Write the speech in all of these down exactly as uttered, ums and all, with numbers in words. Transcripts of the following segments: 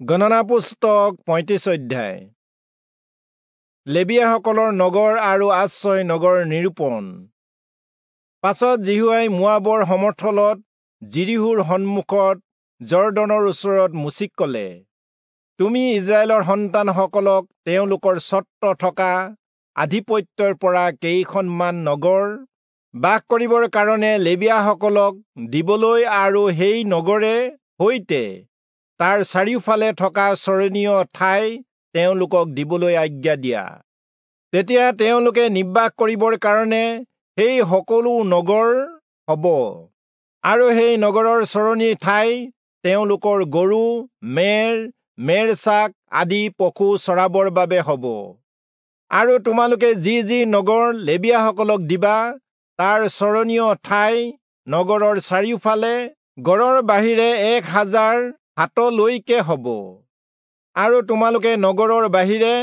গণনা পুস্তক পঁয়ত্ৰিশ অধ্যায়। লেবীয়াসকলৰ নগৰ আৰু আশ্ৰয় নগৰ নিৰূপণ। পাছত যিহোৱাই মোৱাবৰ সমথলত যিৰীহোৰ সন্মুখত যৰ্দনৰ ওচৰত মোচিক কলে, তুমি ইস্ৰায়েলৰ সন্তানসকলক তেওঁলোকৰ স্বত্ব থকা আধিপত্যৰ পৰা কেইখনমান নগৰ বাস কৰিবৰ কাৰণে লেবীয়াসকলক দিবলৈ আৰু সেই নগৰে সৈতে তাৰ চাৰিওফালে থকা চৰণীয় ঠাই তেওঁলোকক দিবলৈ আজ্ঞা দিয়া। তেতিয়া তেওঁলোকে নিবাস কৰিবৰ কাৰণে সেই সকলো নগৰ হ'ব, আৰু সেই নগৰৰ চৰণী ঠাই তেওঁলোকৰ গৰু, মেৰ, মেৰছাক আদি পশু চৰাবৰ বাবে হ'ব। আৰু তোমালোকে যি যি নগৰ লেবীয়াসকলক দিবা, তাৰ চৰণীয় ঠাই নগৰৰ চাৰিওফালে গড়ৰ বাহিৰে এক হাজাৰ হাতলৈকে হ'ব। আৰু তোমালোকে নগৰৰ বাহিৰে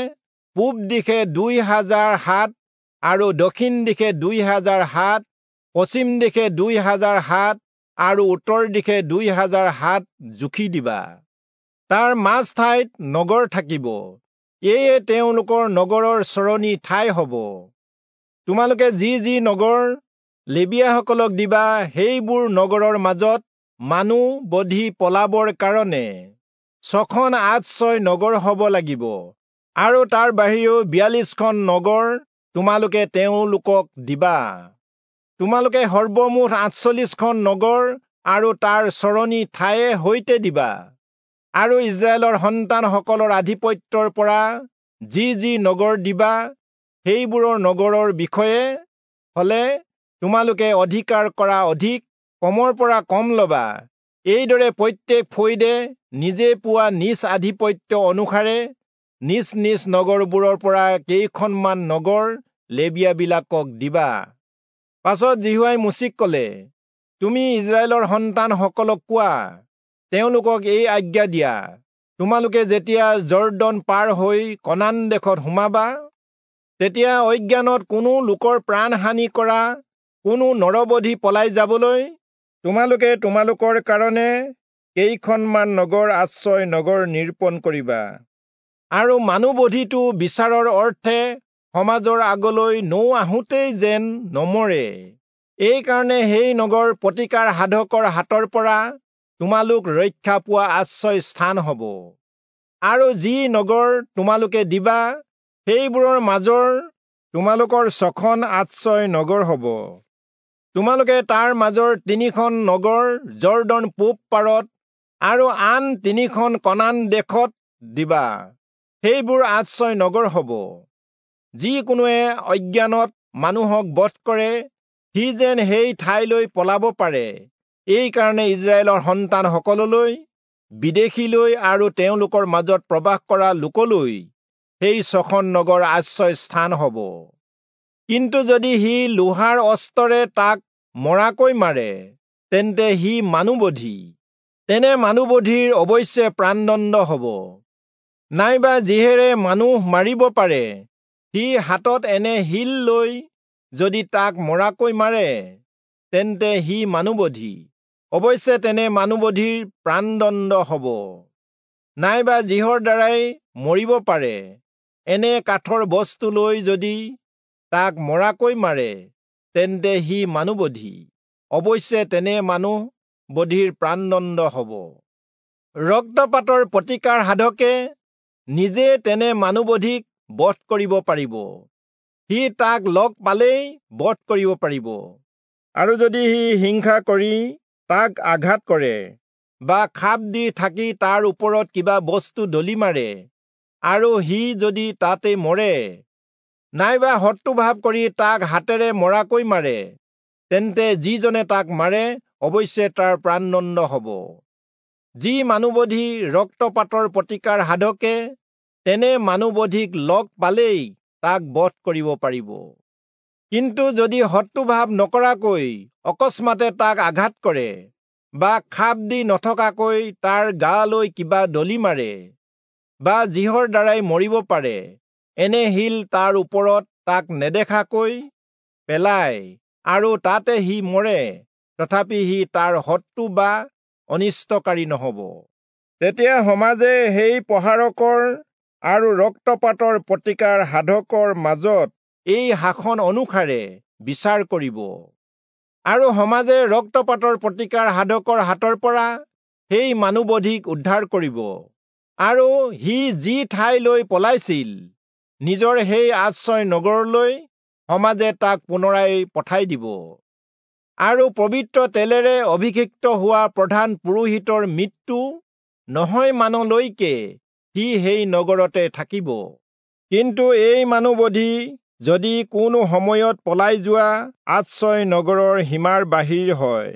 পূব দিশে দুই হাজাৰ হাত আৰু দক্ষিণ দিশে দুই হাজাৰ হাত, পশ্চিম দিশে দুই হাজাৰ হাত আৰু উত্তৰ দিশে দুই হাজাৰ হাত জুখি দিবা। তাৰ মাজ ঠাইত নগৰ থাকিব। এয়ে তেওঁলোকৰ নগৰৰ চৰণী ঠাই হ'ব। তোমালোকে যি যি নগৰ লেবীয়াসকলক দিবা, সেইবোৰ নগৰৰ মাজত মানুহ বধি পলাবৰ কাৰণে ছখন আশ্ৰয় নগৰ হ'ব লাগিব, আৰু তাৰ বাহিৰেও বিয়াল্লিছখন নগৰ তোমালোকে তেওঁলোকক দিবা। তোমালোকে সৰ্বমুঠ আঠচল্লিছখন নগৰ আৰু তাৰ চৰণী ঠায়ে সৈতে দিবা। আৰু ইস্ৰায়েলৰ সন্তানসকলৰ আধিপত্যৰ পৰা যি যি নগৰ দিবা, সেইবোৰৰ নগৰৰ বিষয়ে হলে তোমালোকে অধিকাৰ কৰা অধিক কমৰ পৰা কম ল'বা। এইদৰে প্ৰত্যেক ফৈদে নিজে পোৱা নিজ আধিপত্য অনুসাৰে নিজ নিজ নগৰবোৰৰ পৰা কেইখনমান নগৰ লেবীয়াবিলাকক দিবা। পাছত যিহোৱাই মোচিক কলে, তুমি ইস্ৰায়েলৰ সন্তানসকলক কোৱা, তেওঁলোকক এই আজ্ঞা দিয়া, তোমালোকে যেতিয়া যৰ্দন পাৰ হৈ কনান দেশত সোমাবা, তেতিয়া অজ্ঞানত কোনো লোকৰ প্ৰাণ হানি কৰা কোনো নৰবধি পলাই যাবলৈ তোমালোকে তোমালোকৰ কাৰণে কেইখনমান নগৰ আশ্ৰয় নগৰ নিৰূপণ কৰিবা। আৰু মানুহবধিটো বিচাৰৰ অৰ্থে সমাজৰ আগলৈ নৌ আহোঁতেই যেন নমৰে, এইকাৰণে সেই নগৰ প্ৰতিকাৰ সাধকৰ হাতৰ পৰা তোমালোক ৰক্ষা পোৱা আশ্ৰয় স্থান হ'ব। আৰু যি নগৰ তোমালোকে দিবা, সেইবোৰৰ মাজৰ তোমালোকৰ ছখন আশ্ৰয় নগৰ হ'ব। তোমালোকে তাৰ মাজৰ তিনিখন নগৰ যৰ্দন পূব পাৰত আৰু আন তিনিখন কনান দেশত দিবা, সেইবোৰ আশ্ৰয় নগৰ হ'ব। যি কোনোৱে অজ্ঞানত মানুহক বধ কৰে, সি যেন সেই ঠাইলৈ পলাব পাৰে। এইকাৰণে ইস্ৰায়েলৰ সন্তানসকললৈ, বিদেশীলৈ আৰু তেওঁলোকৰ মাজত প্ৰবাস কৰা লোকলৈ সেই ছখন নগৰ আশ্ৰয় স্থান হ'ব। কিন্তু যদি সি লোহাৰ অস্ত্ৰৰে তাক মৰাকৈ মাৰে, তেন্তে সি মানুহবধি, তেনে মানুহবধিৰ অৱশ্যে প্ৰাণদণ্ড হ'ব। নাইবা যিহেৰে মানুহ মাৰিব পাৰে, সি হাতত এনে শিল লৈ যদি তাক মৰাকৈ মাৰে, তেন্তে সি মানুহবধি, অৱশ্যে তেনে মানুহবধিৰ প্ৰাণদণ্ড হ'ব। নাইবা যিহৰ দ্বাৰাই মৰিব পাৰে, এনে কাঠৰ বস্তু লৈ যদি তাক মৰাকৈ মাৰে, তেন্তে সি মানুহবধি, অৱশ্যে তেনে মানুহ বধিৰ প্ৰাণদণ্ড হ'ব। ৰক্তপাতৰ প্ৰতিকাৰ সাধকে নিজে তেনে মানুহবধিক বধ কৰিব পাৰিব, সি তাক লগ পালেই বধ কৰিব পাৰিব। আৰু যদি সি হিংসা কৰি তাক আঘাত কৰে বা খাপ দি থাকি তাৰ ওপৰত কিবা বস্তু দলি মাৰে, আৰু সি যদি তাতে মৰে, নাইবা শত্ৰুভাৱ কৰি তাক হাতেৰে মৰাকৈ মাৰে, তেন্তে যিজনে তাক মাৰে, অৱশ্যে তাৰ প্ৰাণদণ্ড হ'ব। যি মানুহবধি ৰক্তপাতৰ প্ৰতিকাৰ সাধকে তেনে মানুহবধিক লগ পালেই তাক বধ কৰিব পাৰিব। কিন্তু যদি শত্ৰুভাৱ নকৰাকৈ অকস্মাতে তাক আঘাত কৰে বা খাপ দি নথকাকৈ তাৰ গালৈ কিবা দলি মাৰে বা যিহৰ দ্বাৰাই মৰিব পাৰে, এনে শিল তাৰ ওপৰত তাক নেদেখাকৈ পেলায় আৰু তাতে সি মৰে, তথাপি সি তাৰ শত্ৰু বা অনিষ্টকাৰী নহ'ব। তেতিয়া সমাজে সেই প্ৰহাৰকৰ আৰু ৰক্তপাতৰ প্ৰতিকাৰ সাধকৰ মাজত এই শাসন অনুসাৰে বিচাৰ কৰিব। আৰু সমাজে ৰক্তপাতৰ প্ৰতিকাৰ সাধকৰ হাতৰ পৰা সেই মানুহবধিক উদ্ধাৰ কৰিব, আৰু সি যি ঠাইলৈ পলাইছিল নিজৰ সেই আশ্ৰয় নগৰলৈ সমাজে তাক পুনৰাই পঠাই দিব। আৰু পবিত্ৰ তেলেৰে অভিষিক্ত হোৱা প্ৰধান পুৰোহিতৰ মৃত্যু নহয় মানলৈকে সি সেই নগৰতে থাকিব। কিন্তু এই মানুহবধি যদি কোনো সময়ত পলাই যোৱা আশ্ৰয় নগৰৰ সীমাৰ বাহিৰ হয়,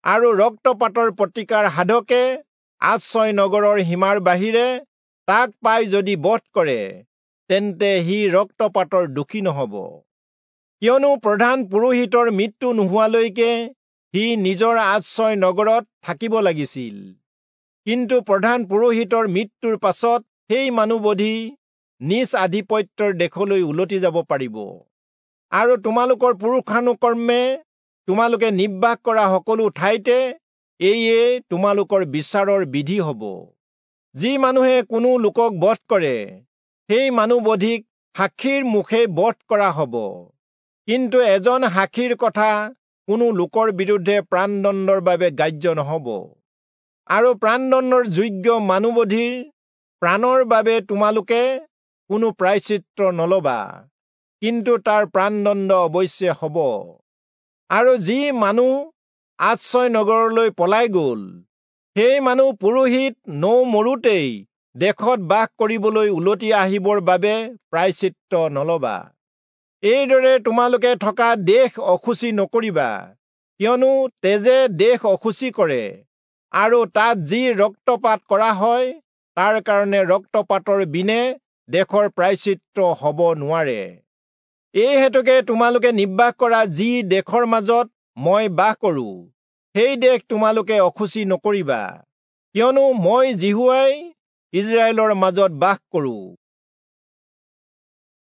আৰু ৰক্তপাতৰ প্ৰতিকাৰ সাধকে আশ্ৰয় নগৰৰ সীমাৰ বাহিৰে তাক পাই যদি বধ কৰে, তেন্তে সি ৰক্তপাতৰ দোষী নহব, কিয়নো প্ৰধান পুৰোহিতৰ মৃত্যু নোহোৱালৈকে সি নিজৰ আশ্ৰয় নগৰত থাকিব লাগিছিল। কিন্তু প্ৰধান পুৰোহিতৰ মৃত্যুৰ পাছত সেই মানুহবধি নিজ আধিপত্যৰ দেশলৈ উলটি যাব পাৰিব। আৰু তোমালোকৰ পুৰুষানুকৰ্মে তোমালোকে নিবাস কৰা সকলো ঠাইতে এইয়ে তোমালোকৰ বিচাৰৰ বিধি হব। যি মানুহে কোনো লোকক বধ কৰে, সেই মানুহবধিক সাক্ষীৰ মুখে বধ কৰা হব। কিন্তু এজন সাক্ষীৰ কথা কোনো লোকৰ বিৰুদ্ধে প্ৰাণদণ্ডৰ বাবে গ্ৰাহ্য নহব। আৰু প্ৰাণদণ্ডৰ যোগ্য মানুহবধিৰ প্ৰাণৰ বাবে তোমালোকে কোনো প্ৰায়শ্চিত্ত নলবা, কিন্তু তাৰ প্ৰাণদণ্ড অৱশ্যে হব। আৰু যি মানুহ আশ্ৰয় নগৰলৈ পলাই গল, সেই মানুহ পুৰোহিত নৌ মৰোতেই দেশত বাস কৰিবলৈ উলটি আহিবৰ বাবে প্ৰায়শ্চিত্ত নলবা। এইদৰে তোমালোকে থকা দেশ অশুচি নকৰিবা, কিয়নো তেজে দেশ অশুচি কৰে, আৰু তাত যি ৰক্তপাত কৰা হয় তাৰ কাৰণে ৰক্তপাতৰ বিনে দেশৰ প্ৰায়শ্চিত্ত হব নোৱাৰে। এই হেতুকে তোমালোকে নিবাস কৰা যি দেশৰ মাজত মই বাস কৰো, সেই দেশ তোমালোকে অশুচি নকৰিবা, কিয়নো মই যিহোৱাই ইস্ৰায়েলৰ মাজত বাস কৰো।